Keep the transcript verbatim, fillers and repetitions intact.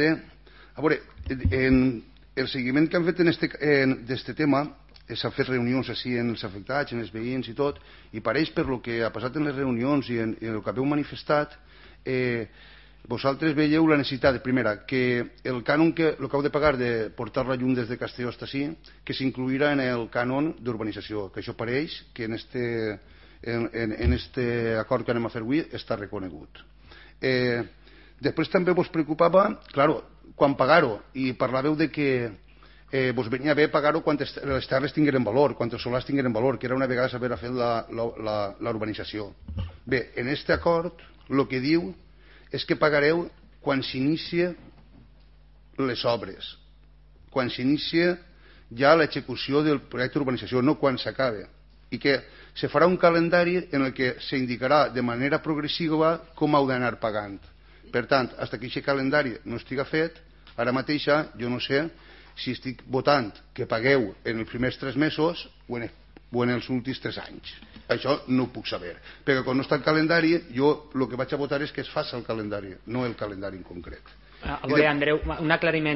A veure, en el seguiment que han fet d'aquest tema s'han fet reunions així en els afectats, en els veïns i tot, i pareix per el que ha passat en les reunions i en el que haveu manifestat, vosaltres veieu la necessitat, primera, que el cànon que heu de pagar de portar la llum des de Castelló fins ací, que s'incluirà en el cànon d'urbanització, que això pareix que en aquest acord que anem a fer avui està reconegut. Després també vos preocupava, clar, quan pagar-ho, i parlàveu de que vos venia bé pagar-ho quan les terres tingueren valor, quan els solars tingueren valor, que era una vegada saber fer la urbanització. Bé, en aquest acord el que diu és que pagareu quan s'inicia les obres, quan s'inicia ja l'execució del projecte d'urbanització, no quan s'acaba, i que se farà un calendari en el que s'indicarà de manera progressiva com heu d'anar pagant. Per tant, fins que aquest calendari no estiga fet, ara mateix jo no sé si estic votant que pagueu en els primers tres mesos o en els últims tres anys. Això no ho puc saber, perquè quan no està el calendari jo el que vaig a votar és que es faci el calendari, no el calendari en concret. A veure, Andreu, un aclariment.